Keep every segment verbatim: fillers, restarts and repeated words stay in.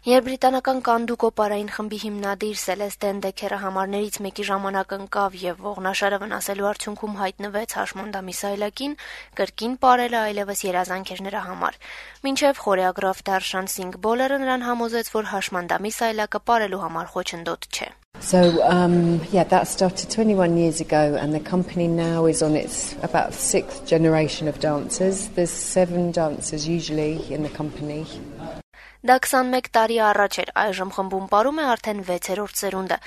Երբ բրիտանական Կանդուկո պարային խմբի հիմնադիր Սելեստեն Դեքերը համարներից մեկի ժամանակ ընկավ եւ ողնաշարը վնասելու արդյունքում հայտնվեց հաշմանդամի սայլակին, կրկին պարելը այլևս երազանք էր նրա համար։ Մինչեւ խորեոգրաֆ Դարշան Սինգ Բոլերը նրան համոզեց, որ հաշմանդամի սայլակը պարելու համար խոչընդոտ չէ։ So, um, yeah, that started twenty-one years ago, and the company now is on its about sixth generation of dancers. There's seven dancers usually in the company. Դա քսանմեկ տարի առաջ էր, այժմ խմբում պարում է արդեն վեցերորդ սերունդը,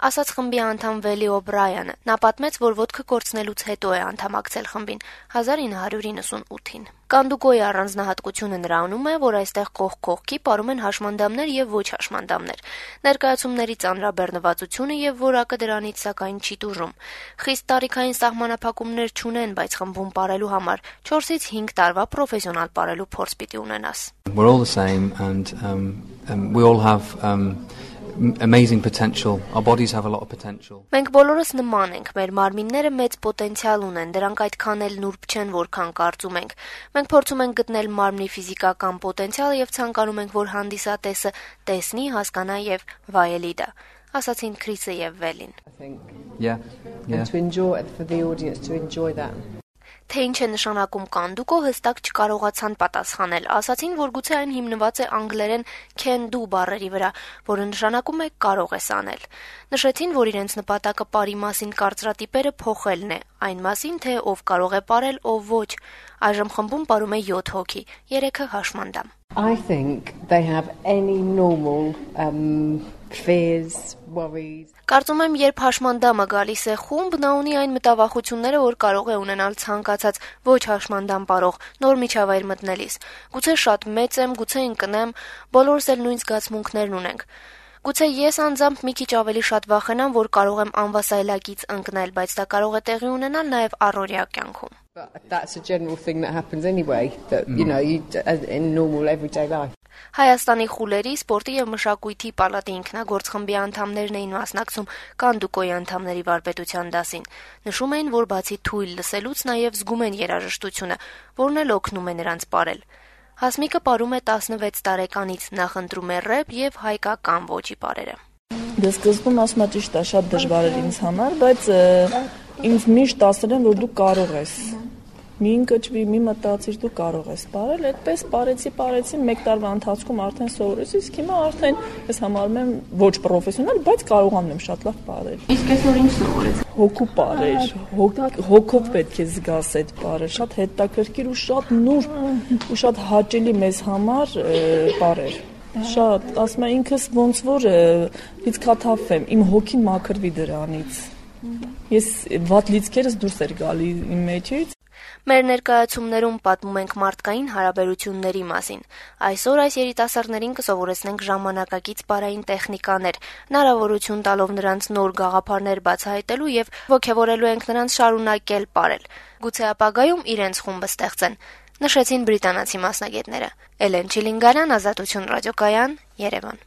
ասաց խմբի անդամ Վելի Օբրայանը։ Նա պատմեց, որ ոտքը կորցնելուց հետո է անդամակցել խմբին հազար ինը հարյուր իննսունութին։ Կանդուկոյի առանձնահատկությունը նրանում է, որ այստեղ կողք կողքի պարում են հաշմանդամներ եւ ոչ հաշմանդամներ։ Ներկայացումների ծանրաբեռնվածությունը եւ որակը դրանից սակայն չի տուժում։ Խիստ տարիքային սահմանափակումներ չունեն, բայց խմբում պարելու համար չորսից հինգ տարվա պրոֆեսիոնալ պարելու փորձ պիտի ունենաս։ We're all the same and um, um, we all have um, amazing potential. Our bodies have a lot of potential. Մենք բոլորս նման ենք, մեր մարմինները մեծ պոտենցիալ ունեն, դրանք այդքան էլ նուրբ չեն, որքան կարծում ենք։ Մենք փորձում ենք գտնել մարմնի ֆիզիկական պոտենցիալը եւ ցանկանում ենք, որ հանդիսատեսը տեսնի, հասկանա եւ վայելի դա, ասացին Քրիսը եւ Վելին։ Yeah. Yeah. And to enjoy for the audience to enjoy that. Թե ինչ է նշանակում Կանդուկո, հստակ չկարողացան պատասխանել, ասացին, որ գուցե այն հիմնված է անգլերեն can do բառերի վրա, որը նշանակում է կարող ես անել։ Նշեցին, որ իրենց նպատակը պարի մասին կարծրատիպերը փոխելն է, այն մասին, թե ով կարող է պարել, ով ոչ։ Այժմ խմբում պարում է յոթ հոգի, երեքը հաշմանդամ։ I think they have any normal um, fears, worries. Կարծում եմ, երբ հաշմանդամը գալիս է խումբ, նա ունի այն մտավախությունները, որ կարող է ունենալ ցանկացած ոչ հաշմանդամ պարող նոր միջավայր մտնելիս։ Գուցե շատ մեծ եմ, գուցե ընկնեմ, բոլորս էլ նույն զգացմունքներն ունենք։ Գուցե ես անձամբ մի քիչ ավելի շատ վախենամ, որ կարող եմ անվասայլակից ընկնել, բայց դա կարող է տեղի ունենալ նաև առօրյա կյանքում։ But that's a general thing that happens anyway, that you know, you in normal everyday life. Հայաստանի խուլերի, սպորտի եւ մշակույթի պալատի ինքնագործ խմբի անդամներն էին մասնակցում Կանդուկոյի անդամների վարպետության դասին։ Նշում էին, որ բացի թույլ լսելուց նաև զգում են երաժշտությունը, որն էլ օգնում է նրանց պարել։ Հասմիկը պարում է տասնվեց տարեկանից, նախընտրում է ռեփ եւ հայկական ոճի պարերը։ Դե սկզբում ասում եմ ճիշտ է, շատ դժվար էր ինձ համար, բայց ինձ միշտ ասել են, որ դու կարող ես։ Մի ընկճվի, մի մտածիր, դու կարող ես պարել, այդպես պարեցի, պարեցի, մեկ տարվա ընթացքում արդեն սովորեցի, իսկ հիմա արդեն ես համարում եմ ոչ պրոֆեսիոնալ, բայց կարողանում եմ շատ լավ պարել։ Իսկ այսօր ինչ սովորեցի։ Հոգու պարեր, հոգով պետք է զգաս այդ պարը, շատ հետաքրքիր ու շատ նուրբ ու շատ հաճելի մեզ համար պարեր։ Շատ, ասում եմ ինքս ոնց որ լիցքաթափվեմ, իմ հոգին մաքրվի դրանից։ Ես վատ լիցքերս դուրս էր գալի իմ մեջից։ Մեր ներկայացումներում պատմում ենք մարդկային հարաբերությունների մասին։ Այսօր այս երիտասարդներին կսովորեցնենք ժամանակակից պարային տեխնիկաներ, հնարավորություն տալով նրանց նոր գաղափարներ բացահայտելու եւ ոգևորելու ենք նրանց շարունակել պարել։ Գուցե ապագայում իրենց խումբը ստեղծեն, նշեցին բրիտանացի մասնագետները։ Էլեն Չիլինգարյան, Ազատություն ռադիոկայան, Երևան։